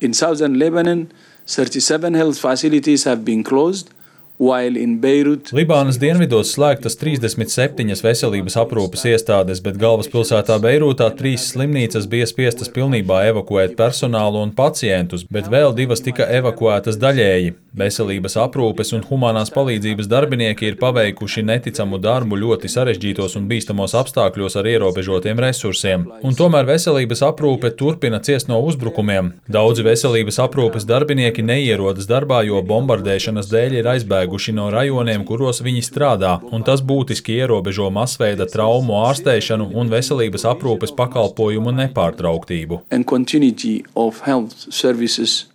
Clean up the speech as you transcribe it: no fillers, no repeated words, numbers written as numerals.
In southern Lebanon, 37 health facilities have been closed, while in Beirut, Libānas dienvidos slēgtas 37 veselības aprūpes iestādes, bet galvaspilsētā Beirūtā 3 slimnīcas bija spiestas pilnībā evakuēt personālu un pacientus, bet vēl 2 tika evakuētas daļēji. Veselības aprūpes un humanās palīdzības darbinieki ir paveikuši neticamu darbu ļoti sarežģītos un bīstamos apstākļos ar ierobežotiem resursiem. Un tomēr veselības aprūpe turpina ciest no uzbrukumiem. Daudzi veselības aprūpes darbinieki neierodas darbā, jo bombardēšanas dēļ ir aizbēguši no rajoniem, kuros viņi strādā, un tas būtiski ierobežo masveida traumu ārstēšanu un veselības aprūpes pakalpojumu nepārtrauktību. and continuity of health services